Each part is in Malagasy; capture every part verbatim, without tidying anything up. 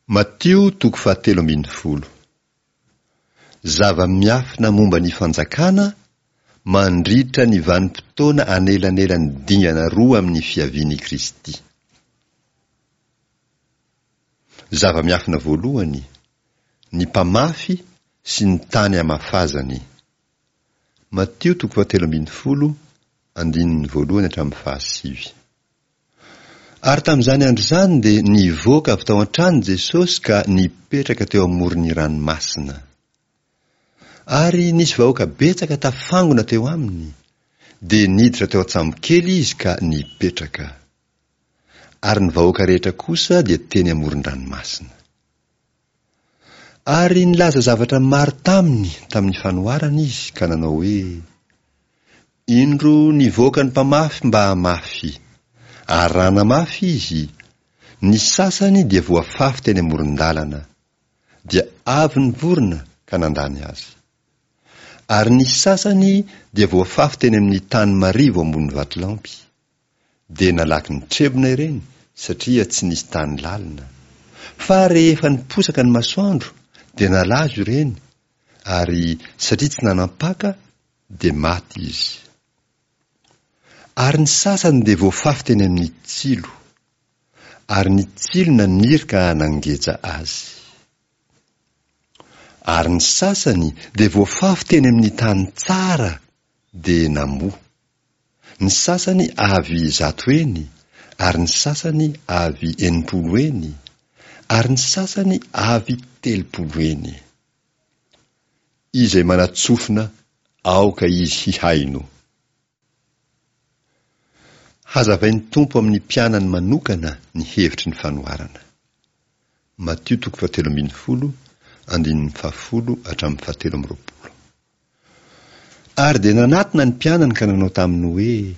Matio toko fahatelo ambin'ny folo. Zava-miafina momba ny fanjakana mandritra ny vanim-potoana anelanelan'ny dingana roa amin'ny fiavian'i Kristy. Zava-miafina voalohany, ny mpamafy sy ny tany amafazany. Matio toko fahatelo ambin'ny folo, andininy voalohany hatramin'ny fahasivy. Ary tamin'izany andro izany dia nivoaka avy tao an-trano Jesosy ka nipetraka teo amoron'ny ranomasina. Ary nisy vahoaka betsaka tafangona teo aminy, dia niditra teo an-tsambokely izy ka nipetraka. Ary ny vahoaka rehetra kosa dia teny amoron-dranomasina. Ary nilaza zavatra maro taminy tamin'ny fanoharana izy ka nanao hoe, Indro nivoaka ny mpamafy mba hamafy. Ary raha namafy izy, ny sasany dia voafafy teny amoron-dalana, dia avy ny vorona ka nandany azy. Ary ny sasany dia voafafy teny amin'ny tany marivo ambony vatolampy. Dia nalaky nitrebona ireny satria tsy nisy tany lalina. Fa rehefa niposaka ny masoandro dia nalazo ireny, ary satria tsy nanam-paka dia maty izy. Ary ny sasany dia voafafy teny amin'ny tsilo, ary ny tsilo naniry ka nangeja azy. Ary ny sasany dia voafafy teny amin'ny tany tsara dia namoa. Ny sasany avy zato heny, ary ny sasany avy enimpolo heny, ary ny sasany avy telopolo heny. Izay manan-tsofina aoka izy hihaino. Hazavain'ny Tompo amin'ny mpianany manokana ny hevitry ny fanoharana. Matio toko fahatelo ambin'ny folo, andininy fahafolo hatramin'ny fahatelo amby roapolo. Ary dia nanatona ny mpianany ka nanao taminy hoe,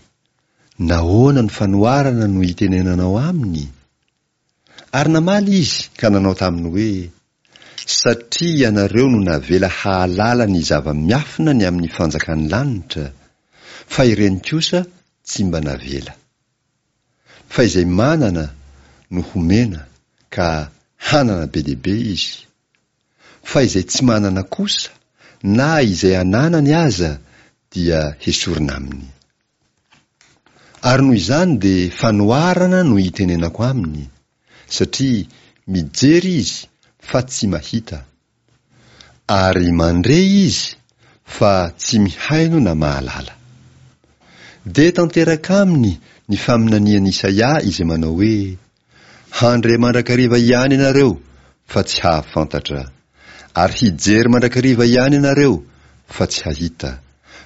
Nahoana no fanoharana no itenenanao aminy? Ary namaly izy ka nanao taminy hoe, Satria ianareo no navela hahalala ny zava-miafina ny amin'ny fanjakan'ny lanitra, fa ireny kosa tsy mba navela. Fa izay manana no homena ka hanana be dia be izy, fa izay tsy manana kosa, na izay ananany aza dia hesorina aminy. Ary noho izany dia fanoharana no itenenako aminy, satria mijery izy fa tsy mahita, ary mandre izy fa tsy mihaino na mahalala. Dia tanteraka aminy ny faminanian'i Isaia izay manao hoe, Handre mandrakariva ihany ianareo fa tsy hahafantatra, ary hijery mandrakariva ihany ianareo fa tsy hahita,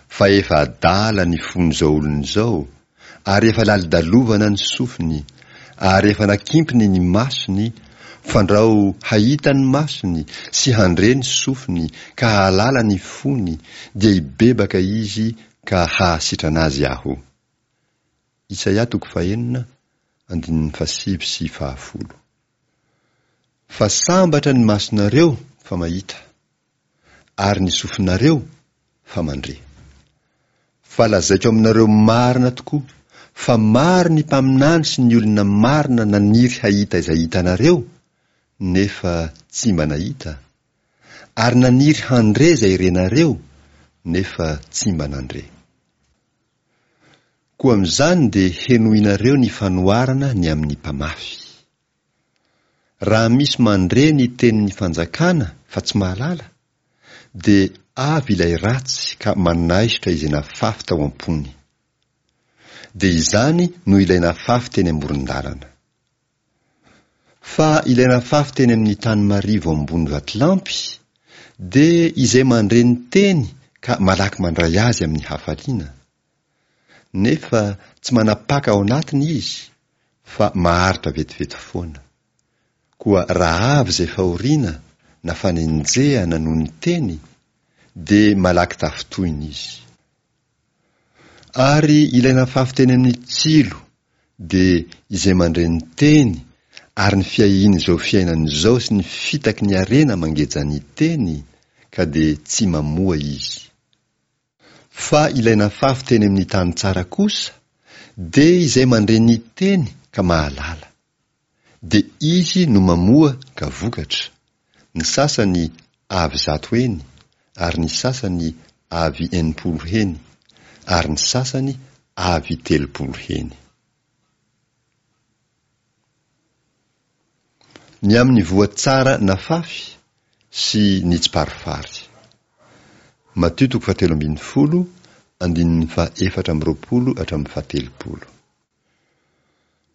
fa efa adala ny fon'izao olona izao, ary efa lalodalovana ny sofiny, ary efa nakimpiny ny masony, fandrao hahita ny masony sy handre ny sofiny ka hahalala ny fony, dia hibebaka izy ka hahasitrana azy Aho. Isaia toko fahenina, andininy fahasivy sy fahafolo. Fa sambatra ny masonareo fa mahita, ary ny sofinareo fa mandre. Fa lazaiko aminareo marina tokoa fa maro ny mpaminany sy ny olona marina naniry hahita izay hitanareo, nefa tsy mba nahita, ary naniry handre izay renareo, nefa tsy mba nandre. Koa amin'izany dia henoinareo ny fanoharana ny amin'ny mpamafy. Raha misy mandre ny tenin'ny fanjakana fa tsy mahalala, dia avy ilay ratsy ka manaisotra izay nafafy tao am-pony. Dia izany no ilay nafafy teny amoron-dalana. Fa ilay nafafy teny amin'ny tany marivo ambony vatolampy dia izay mandre ny teny ka malaky mandray azy amin'ny hafaliana. Nefa tsy manapaka ao anatiny izy fa maharitra vetivety foana. Koa raha avy izay fahoriana na fanenjehana noho ny teny dia malaky tafintohina izy. Ary ilay nafafy teny amin'ny tsilo dia izay mandre ny teny ary ny fiahian'izao fiainana izao sy ny fitaky ny harena mangeja ny teny ka dia tsy mamoa izy. Fa ilay nafafy teny amin'ny tany tsara kosa dia izay mandre ny teny ka mahalala. dia izy no mamoa ka vokatra, ny sasany avy zato heny, ary ny sasany avy enimpolo heny, ary ny sasany avy telopolo heny. Ny amin'ny voa tsara nafafy sy ny tsiparifary. Matio toko fahatelo ambin'ny folo, andininy fahaefatra amby roapolo hatramin'ny fahatelopolo.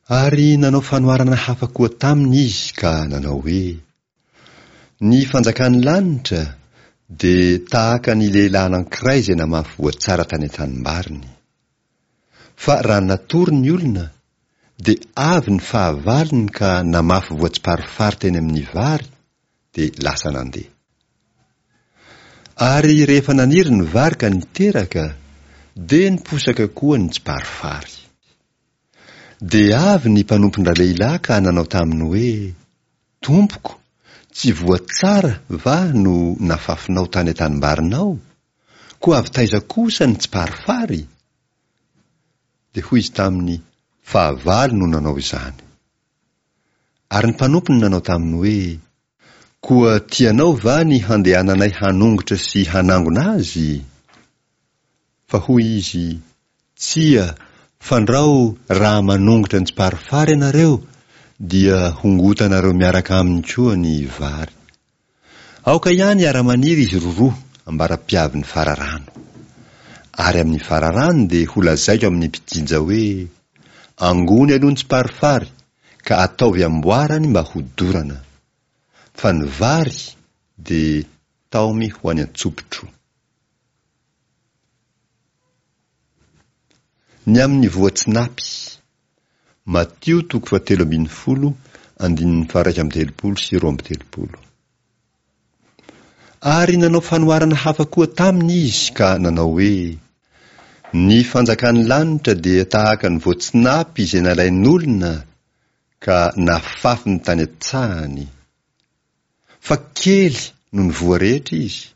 Ary nanao fanoharana hafa koa taminy izy ka nanao hoe: Ny fanjakan'ny lanitra dia tahaka ny lehilahy anankiray izay namafy voa tsara tany an-tanimbariny. Fa raha natory ny olona, dia avy ny fahavalony ka namafy voa tsiparifary teny amin'ny vary, dia lasa nandeha. Ary rehefa naniry ny vary ka niteraka, dia niposaka koa ny tsiparifary. Dia avy ny mpanompon-dralehilahy ka nanao taminy hoe: Tompoko, tsy voa tsara va no nafafinao tany an-tanimbarinao? Koa avy taiza kosa ny tsiparifary? Dia hoy izy taminy: Fahavalo no nanao izany. Ary ny mpanompony nanao taminy hoe: Koa tianao va ny handehananay hanongotra sy hanangona azy? Fa hoy izy: Tsia, fandrao raha manongotra ny tsiparifary ianareo, dia hongotanareo miaraka aminy koa ny vary. Aoka ihany hiara-maniry izy roroa ambara-piavin'ny fararano. Ary amin'ny fararano dia holazaiko amin'ny mpijinja hoe: Angony aloha ny tsiparifary, ka ataovy amboarany mba hodorana. Fa ny vary dia taomy ho any an-tsopitro. Ny amin'ny voatsinapy. Matio toko fahatelo ambin'ny folo, andininy faha-iraika amby telopolo sy roa amby telopolo. Ary nanao fanoharana hafa koa taminy izy ka nanao hoe: Ny fanjakan'ny lanitra dia tahaka ny voatsinapy izay nalain'olona ka nafafiny tany an-tsahany. Fa kely noho ny voa rehetra izy,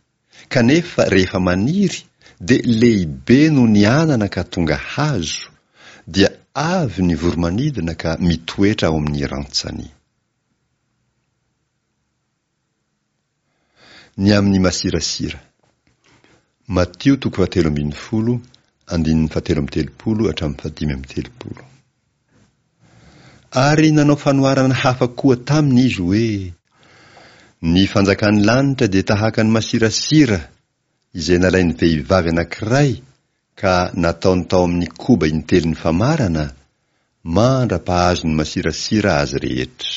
kanefa rehefa maniry dia lehibe noho ny anana ka tonga hazo, dia avy ny voro-manidina ka mitoetra ao amin'ny rantsany. Ny amin'ny masirasira. Matio toko fahatelo ambin'ny folo, andininy fahatelo amby telopolo hatramin'ny fahadimy amby telopolo. Ary nanao fanoharana hafa koa taminy izy hoe: Ny fanjakan'ny lanitra dia tahaka ny masirasira izay nalain'ny vehivavy anankiray ka nataony tao amin'ny koba intelon'ny famarana, mandra-pahazon'ny masirasira azy rehetra.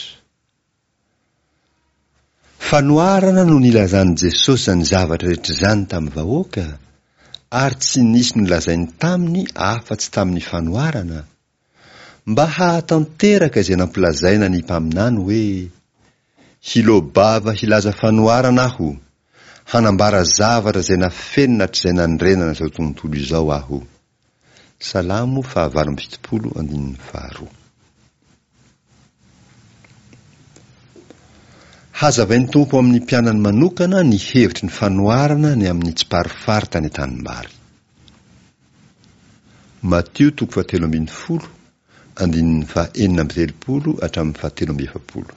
Fanoharana no nilazan'i Jesosy izany zavatra rehetra izany tamin'ny vahoaka, ary tsy nisy nolazainy taminy afa-tsy tamin'ny fanoharana, mba hahatanteraka izay nampilazaina ny mpaminany hoe: Hiloa-bava hilaza fanoharana aho, hanambara zavatra izay nafenina hatrizay nandrenana izao tontolo izao aho. Salamo fahavalo amby fitopolo andininy faharoa. Hazavain'ny Tompo amin'ny mpianany manokana ny hevitry ny fanoharana ny amin'ny tsiparifary tany an-tanimbary. Matio toko fahatelo ambin'ny folo, andininy fahaenina amby telopolo hatramin'ny fahatelo amby efapolo.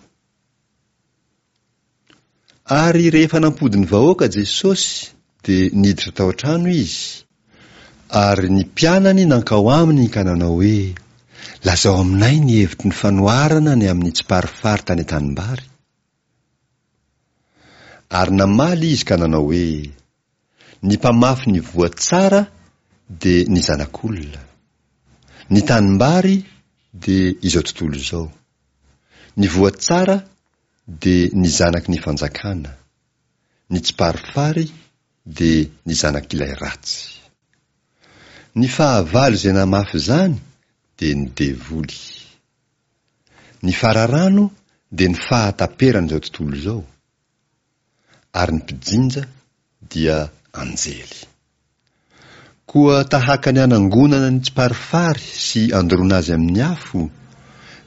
Ary rehefa nampody ny vahoaka Jesosy, dia niditra tao an-trano izy, ary ny mpianany nankao aminy ka nanao hoe: Lazao aminay ny hevitry ny fanoharana ny amin'ny tsiparifary tany an-tanimbary. Ary namaly izy ka nanao hoe: Ny mpamafy ny voa tsara dia ny Zanak'olona. Ny tanimbary dia izao tontolo izao. Ny voa tsara dia ny zanaky ny fanjakana. Ny tsiparifary dia ny zanak'ilay ratsy. Ny fahavalo izay namafy izany dia ny devoly. Ny fararano dia ny fahataperan'izao tontolo izao, ary ny mpijinja dia anjely. Koa tahaka ny anangonana ny tsiparifary sy andoroana azy amin'ny afo,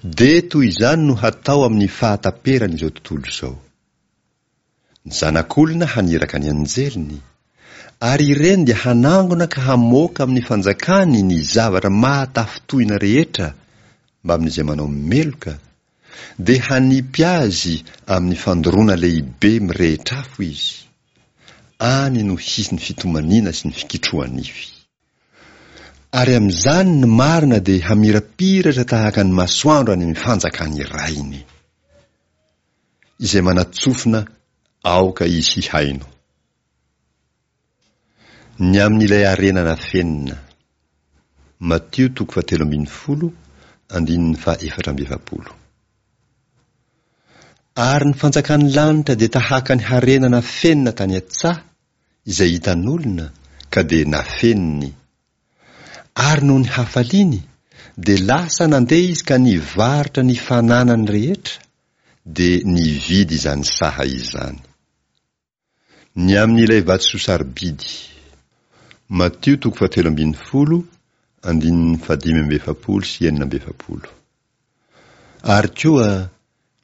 dia toy izany no hatao amin'ny fahataperan'izao tontolo izao. Ny Zanak'olona haniraka ny anjeliny, ary ireny dia hanangona ka hamoaka amin'ny fanjakany ny zavatra mahatafintohina rehetra mbamin'izay manao meloka, Dia hanipy azy amin'ny fandoroana lehibe mirehitra afo izy. Any no hisy ny fitomaniana sy ny fikitroha-nify. Ary amin'izany ny marina dia hamirapiratra tahaka ny masoandro any amin'ny fanjakan'ny Rainy. Izay manatsofina aoka izy hihaino. Ny amin'ilay harena nafenina. Matio toko fahatelo ambin'ny folo, andininy faha efatra amby efapolo. Ary ny fanjakan'ny lanitra dia tahaka ny harena nafenina tany an-tsaha, izay hitan'olona, ka dia nafeniny. Ary noho ny hafaliany, dia lasa nandeha izy ka nivarotra ny fananany rehetra, dia nividy izany saha izany. Ny amin'ilay vatosoa sarobidy. Matio toko fahatelo ambin'ny folo, andininy fahadimy amby efapolo sy enina amby efapolo. Ary koa,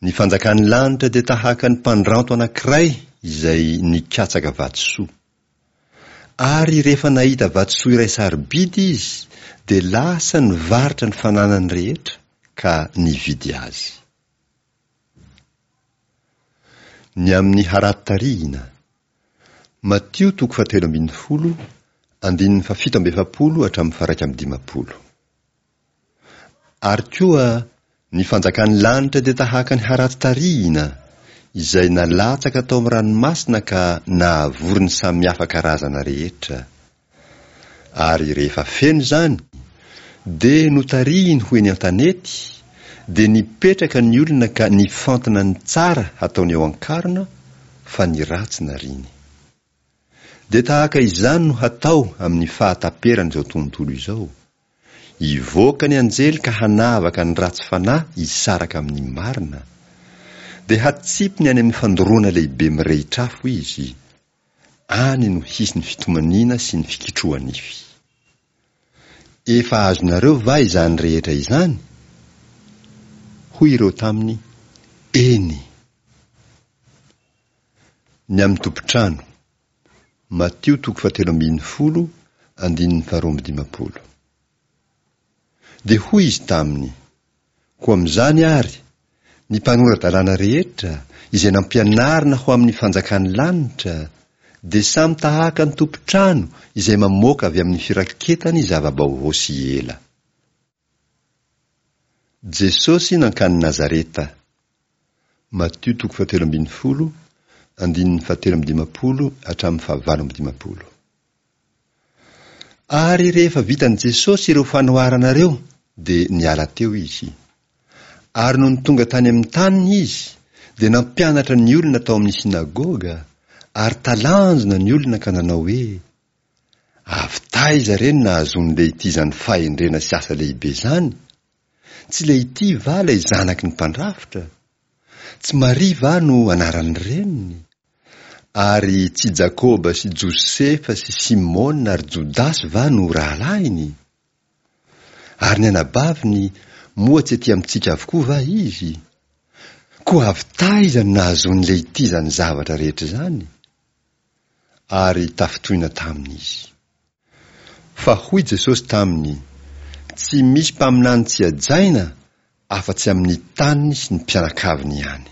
ny fanjakan'ny lanitra dia tahaka ny mpandranto anankiray izay nikatsaka vatosoa. Ary rehefa nahita vatosoa iray sarobidy izy, dia lasa nivarotra ny fananany rehetra ka nividy azy. Ny amin'ny harato tarihina. Matio toko fahatelo ambin'ny folo, andininy fahafito amby efapolo hatramin'ny faha-iraika amby dimampolo. Ary koa, ny fanjakan'ny lanitra dia tahaka ny harato tarihina, izay nalatsaka tao amin'ny ranomasina ka nahavory ny samihafa karazana rehetra. Ary rehefa feno izany, dia notarihiny ho eny an-tanety, dia nipetraka ny olona ka nifantina ny tsara hataony eo an-karona, fa ny ratsy nariany. Dia tahaka izany no hatao amin'ny fahataperan'izao tontolo izao. Hivoaka ny anjely ka hanavaka ny ratsy fanahy hisaraka amin'ny marina. Dia hatsipiny any amin'ny fandoroana lehibe mirehitra afo izy. Any no hisy ny fitomaniana sy ny fikitroha-nify. Efa azonareo va izany rehetra izany? Hoy ireo taminy, Eny. Ny amin'ny tompon-trano. Matio toko fahatelo ambin'ny folo, andininy faharoa amby dimampolo. Dia hoy izy taminy, Koa amin'izany àry, ny mpanora-dalàna rehetra, izay nampianarina ho amin'ny fanjakan'ny lanitra, dia samy tahaka ny tompon-trano izay mamoaka avy amin'ny firaketany zava-baovao sy ela. Jesosy nankany Nazareta. Matio toko fahatelo ambin'ny folo, andininy fahatelo amby dimampolo hatramin'ny fahavalo amby dimampolo. Ary rehefa vitan'i Jesosy ireo fanoharana ireo, dia niala teo izy. Ary nony tonga tany amin'ny taniny izy, dia nampianatra ny olona tao amin'ny synagoga, ary talanjona ny olona ka nanao hoe, Avy taiza re no nahazoan'i Lehity izany fahendrena sy asa lehibe izany? Tsy Lehity va ilay zanaky ny mpandrafitra? Tsy Maria va no anaran'ny reniny? Ary tsy Jakoba sy Josefa sy Simona ary Jodasy va no rahalahiny? Ary ny anabaviny, moa tsy ety amintsika avokoa va izy? Koa avy taiza no nahazoan'i Lehity izany zavatra rehetra izany? Ary tafintohina taminy izy. Fa hoy Jesosy taminy, Tsy misy mpaminany tsy hajaina afa-tsy amin'ny taniny sy ny mpianakaviny ihany.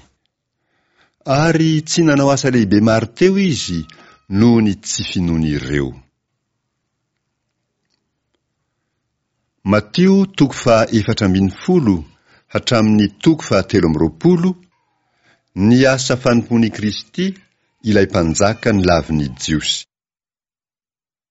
Ary tsy nanao asa lehibe maro teo izy noho ny tsy finoan'ireo. Matio toko faha efatra ambin'ny folo hatramin'ny toko faha telo amby roapolo, Ny asa fanompoan'i Kristy, ilay Mpanjaka nilavin'ny Jiosy.